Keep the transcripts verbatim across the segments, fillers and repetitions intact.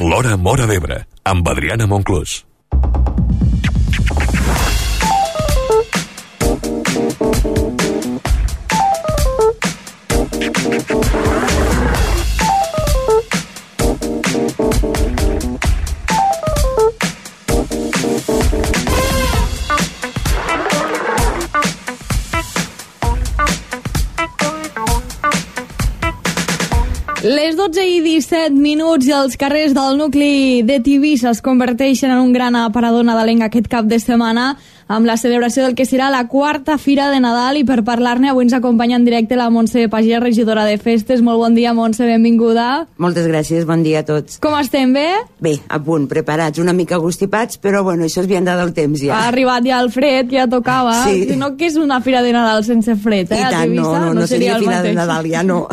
L'Hora Móra d'Ebre, amb Adriana Monclús. Les dotze i disset minuts i els carrers del nucli de Tivissa es converteixen en un gran aparador nadalenc aquest cap de setmana amb la celebració del que serà la quarta Fira de Nadal, i per parlar-ne avui ens acompanya en directe la Montse Pagès, regidora de Festes. Molt bon dia, Montse, benvinguda. Moltes gràcies, bon dia a tots. Com estem, bé? Bé, a punt, preparats, una mica agostipats, però bueno, això es vianda del temps ja. Ha arribat ja el fred, ja tocava. Sí. No que és una Fira de Nadal sense fred, eh? I tant, no, no, no, no seria, seria Fira de Nadal, ja no.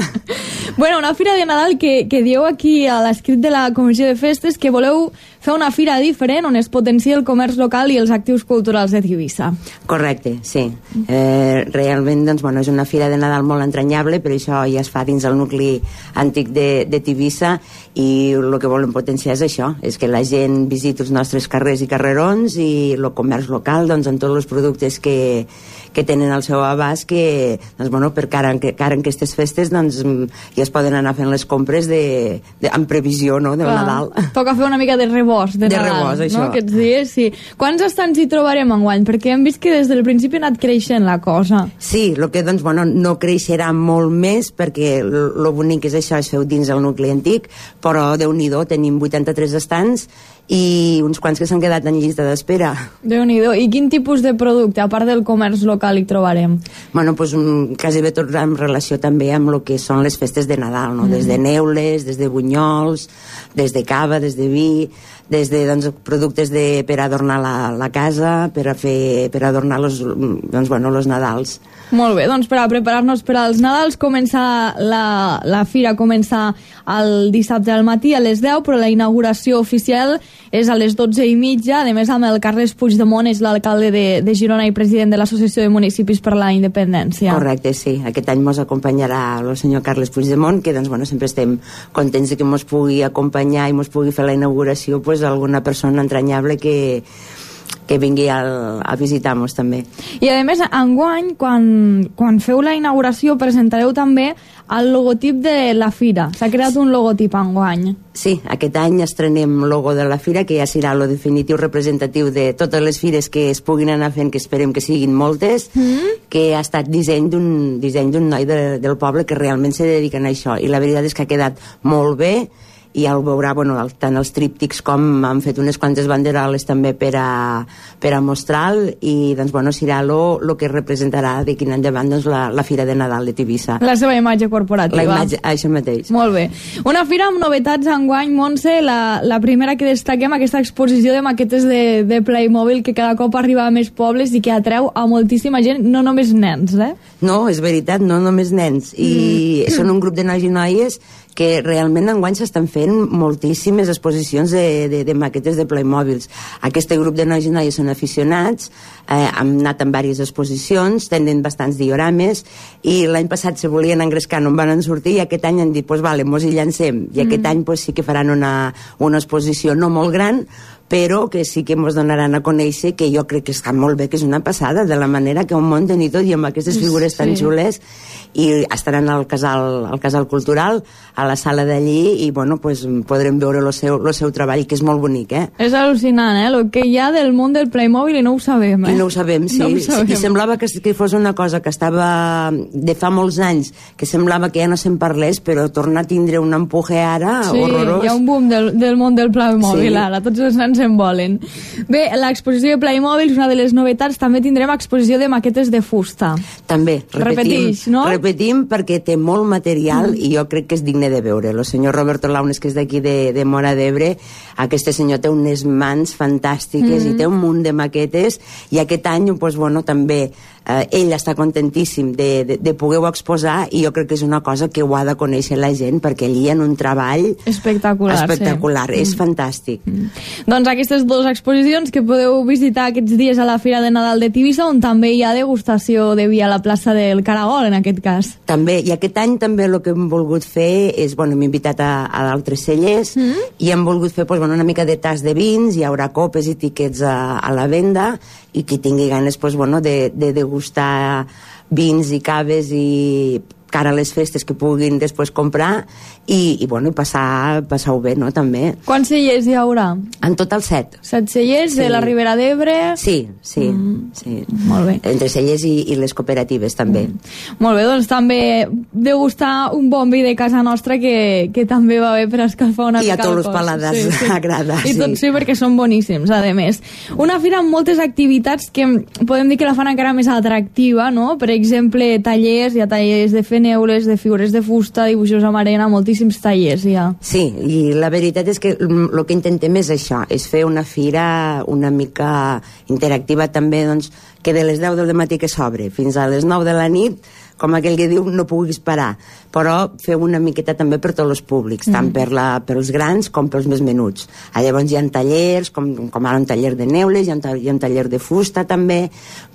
Bueno, una Fira de Nadal que, que dieu aquí a l'escrit de la Comissió de Festes que voleu fer una fira diferent on es potencia el comerç local i els actius culturals de Tivissa. Correcte, sí. Eh, realment, doncs, bueno, és una fira de Nadal molt entranyable, però això ja es fa dins el nucli antic de, de Tivissa, i el que volem potenciar és això, és que la gent visiti els nostres carrers i carrerons i el comerç local, doncs, en tots els productes que, que tenen al seu abast, que, doncs, bueno, per cara en, cara en aquestes festes, doncs, ja es poden anar fent les compres de, de, en previsió, no?, del Clar, Nadal. Toca fer una mica de rebost de, de Nadal, rebost, això. No?, aquests dies, sí. Quants estants hi trobarem enguany? Perquè hem vist que des del principi ha anat creixent la cosa. Sí, el que, doncs, bueno, no creixerà molt més, perquè el bonic és això, es feu dins el nucli antic, però Déu-n'hi-do, tenim vuitanta-tres estants i uns quants que s'han quedat en llista d'espera. Déu-n'hi-do. I quin tipus de producte, a part del comerç local, hi trobarem? Bueno, doncs un, quasi bé tot en relació també amb el que són les festes de Nadal, no? Mm. Des de neules, des de bunyols, des de cava, des de vi, des de, doncs, productes de, per adornar la, la casa, per a fer, per adornar los, doncs, bueno, los Nadals. Molt bé, doncs per a preparar-nos per als Nadals, comença la, la fira comença el dissabte al matí a les deu, però la inauguració oficial és a les dotze i mitja. A més, amb el Carles Puigdemont, és l'alcalde de, de Girona i president de l'Associació de Municipis per la Independència. Correcte, sí. Aquest any mos acompanyarà el senyor Carles Puigdemont, que, doncs, bueno, sempre estem contents de que mos pugui acompanyar i mos pugui fer la inauguració, pues, alguna persona entranyable que que vingui al, a visitar-nos també. I a més, enguany, quan, quan feu la inauguració, presentareu també el logotip de la fira. S'ha creat un logotip enguany. Sí, aquest any estrenem logo de la fira, que ja serà el definitiu representatiu de totes les fires que es puguin anar fent, que esperem que siguin moltes, mm. que ha estat disseny d'un disseny d'un noi de, del poble que realment se dediquen a això, i la veritat és que ha quedat molt bé, i ja ho veurà, bueno, tant els tríptics com han fet unes quantes banderoles també per a, per a mostrar-lo, i, doncs, bueno, serà el que representarà de quin endavant, doncs, la, la Fira de Nadal de Tivissa. La seva imatge corporativa. La imatge, això mateix. Molt bé. Una fira amb novetats enguany, Montse, la, la primera que destaquem, aquesta exposició de maquetes de, de Playmobil, que cada cop arriba a més pobles i que atreu a moltíssima gent, no només nens, eh? No, és veritat, no només nens. I mm. són un grup de nois i noies que realment enguany s'estan fent moltíssimes exposicions de, de, de maquetes de Playmobils. Aquest grup de nois i noies són aficionats, eh, han anat en diverses exposicions, tenen bastants diorames, i l'any passat se volien engrescar, no en van sortir, i aquest any han dit, pues vale, mos hi llancem. I aquest mm. any pues, sí que faran una, una exposició no molt gran, però que sí que ens donaran a conèixer, que jo crec que està molt bé, que és una passada, de la manera que un munten i tot, i amb aquestes figures sí. tan xules, i estaran al casal, al casal cultural, a la sala d'allí, i bueno, pues, podrem veure el seu, el seu treball, que és molt bonic, eh? És al·lucinant, eh? El que hi ha del món del Playmobil, i no ho sabem, eh? I no ho sabem, sí. No ho sabem. I semblava que, que fos una cosa que estava de fa molts anys, que semblava que ja no se'n parlés, però torna a tindre un empuje ara sí, horrorós. Sí, hi ha un boom del, del món del Playmobil, sí. ara, tots els nens se'n volen. Bé, l'exposició de Playmobil és una de les novetats. També tindrem exposició de maquetes de fusta. També, repetim, Repetix, no? repetim perquè té molt material mm. i jo crec que és digne de veure. El senyor Roberto Launes, que és d'aquí de, de Móra d'Ebre, aquest senyor té unes mans fantàstiques mm. i té un munt de maquetes, i aquest any, pues, bueno, també eh, ell està contentíssim de, de, de poder-ho exposar, i jo crec que és una cosa que ho ha de conèixer la gent, perquè allí en un treball espectacular, espectacular. Sí. És mm. fantàstic. Mm. Doncs aquestes dues exposicions que podeu visitar aquests dies a la Fira de Nadal de Tivissa, on també hi ha degustació de vi a la plaça del Caragol, en aquest cas. També, i aquest any també el que hem volgut fer és, bueno, hem invitat a, a d'altres cellers, mm. i hem volgut fer pues, bueno, una mica de tas de vins, hi haurà copes i tiquets a, a la venda, i qui tingui ganes pues, bueno, de, de degustar vins i caves i cara a les festes que puguin després comprar i, i bueno, passar, passar-ho bé, no?, també. Quants cellers hi haurà? En total set. Set cellers, sí. De la Ribera d'Ebre? Sí, sí, mm. sí. Molt bé. Entre cellers i, i les cooperatives, també. Mm. Molt bé, doncs també degustar un bon vi de casa nostra que, que també va bé per escalfar una I mica el cos. I a tots els paladars sí, sí. agrada. I sí. tot sí, perquè són boníssims, a més. Una fira amb moltes activitats que podem dir que la fan encara més atractiva, no? Per exemple, tallers, hi ha tallers de fer neules, de figures de fusta, dibuixos amb arena, moltíssims tallers ja. Sí, i la veritat és que el que intentem és això, és fer una fira una mica interactiva també, doncs, que de les deu del matí que s'obre fins a les nou de la nit, com aquell que diu, no puguis parar, però fer una miqueta també per tots els públics, mm. tant per la, pels grans com pels més menuts. Ah, llavors hi ha tallers, com, com ara un taller de neules, hi ha, un, hi ha un taller de fusta també,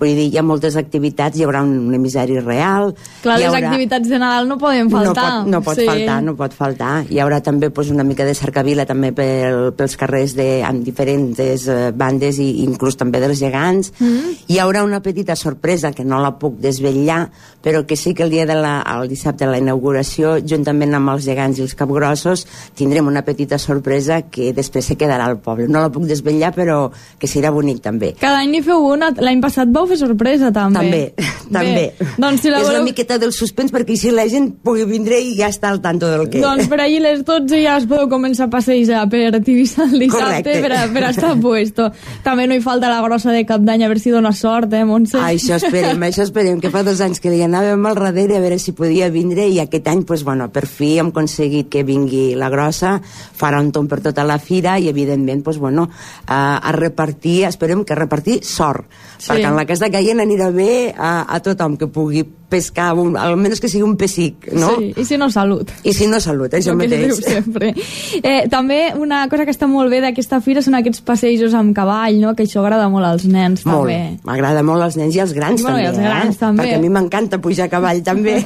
vull dir, hi ha moltes activitats, hi haurà un, un emissari real. Clar, les haurà... activitats de Nadal no poden faltar. No pot, no pot sí. faltar, no pot faltar. Hi haurà també pues, una mica de cercavila també pel, pels carrers de, amb diferents eh, bandes i inclús també dels gegants. Mm. Hi haurà una petita sorpresa que no la puc desvetllar, però que sí que el dia de la, el dissabte de la inauguració, juntament amb els gegants i els capgrossos, tindrem una petita sorpresa que després se quedarà al poble. No la puc desvetllar, però que serà bonic també. Cada any n'hi feu una, l'any passat vau fer sorpresa també. També, també. Doncs, si la és voleu... una miqueta del suspens perquè així la gent pugui vindre i ja està al tanto del que... Doncs per allí les dotze ja es podeu començar a passejar per Tivissa el dissabte per, a, per a estar puesto. També no hi falta la grossa de cap d'any, a veure si dona sort, eh, Montse? Ah, això esperem, això esperem, que fa dos anys que li anàvem al darrere a veure si podia vindre, i aquest any pues, bueno, per fi hem aconseguit que vingui la grossa, farà un tomb per tota la fira i evidentment pues, bueno, a, a repartir, esperem que a repartir sort, sí. perquè en la casa caient anirà bé a, a tothom que pugui pescar, un, almenys que sigui un pessic, no? Sí, i si no, salut. I si no, salut, això mateix. Sempre. Eh, també una cosa que està molt bé d'aquesta fira són aquests passejos amb cavall, no? Que això agrada molt als nens, molt. també. M'agrada molt als nens i als grans, bueno, també. I als grans, eh? també. Perquè a mi m'encanta pujar a cavall, també.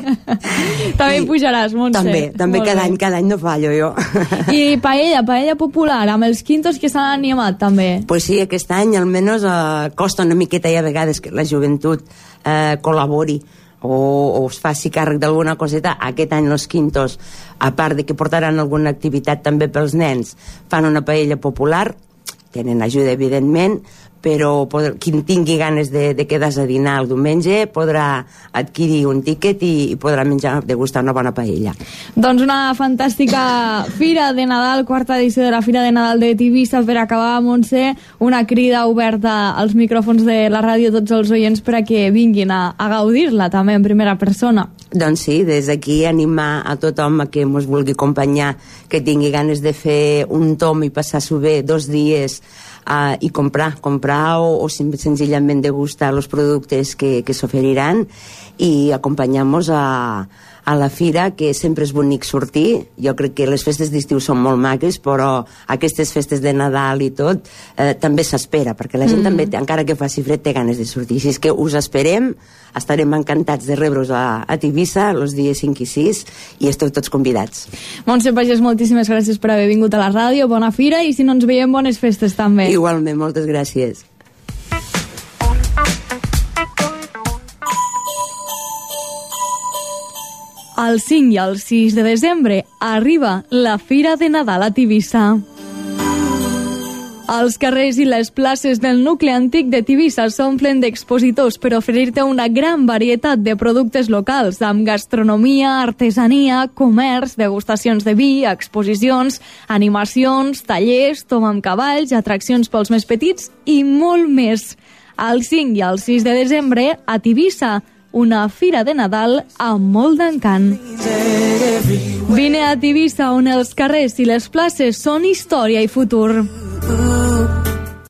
També I, pujaràs, Montse. També, també molt cada bé. any, cada any no fallo jo. I paella, paella popular, amb els quintos que s'han animat, també. Pues sí, aquest any almenys eh, costa una miqueta i a vegades que la joventut eh, col·labori o, o es faci càrrec d'alguna coseta. Aquest any els quintos, a part de que portaran alguna activitat també pels nens, fan una paella popular, tenen ajuda evidentment, però podrà, qui tingui ganes de, de quedar-se a dinar el diumenge podrà adquirir un tíquet i, i podrà menjar, degustar una bona paella. Doncs una fantàstica Fira de Nadal, quarta edició de la Fira de Nadal de Tivissa. Per acabar, Montse, una crida oberta als micròfons de la ràdio a tots els oients per a que vinguin a, a gaudir-la també en primera persona. Doncs sí, des d'aquí animar a tothom a que ens vulgui acompanyar, que tingui ganes de fer un tom i passar-s'ho bé dos dies uh, i comprar, comprar o, o senzillament degustar els productes que, que s'oferiran i acompanyar-nos a, a la fira, que sempre és bonic sortir. Jo crec que les festes d'estiu són molt maques, però aquestes festes de Nadal i tot eh, també s'espera, perquè la gent mm. també, encara que faci fred, té ganes de sortir. Així és que us esperem, estarem encantats de rebre-us a, a Tivissa els dies cinc i sis i esteu tots convidats. Montse Pagès, moltíssimes gràcies per haver vingut a la ràdio, bona fira, i si no ens veiem, bones festes també. Igualment, moltes gràcies. El cinc i el sis de desembre arriba la Fira de Nadal a Tivissa. Els carrers i les places del nucli antic de Tivissa s'omplen d'expositors per oferir-te una gran varietat de productes locals, amb gastronomia, artesania, comerç, degustacions de vi, exposicions, animacions, tallers, tom amb cavalls, atraccions pels més petits i molt més. El cinc i el sis de desembre a Tivissa, una fira de Nadal amb molt d'encant. Vine a Tivissa, on els carrers i les places són història i futur.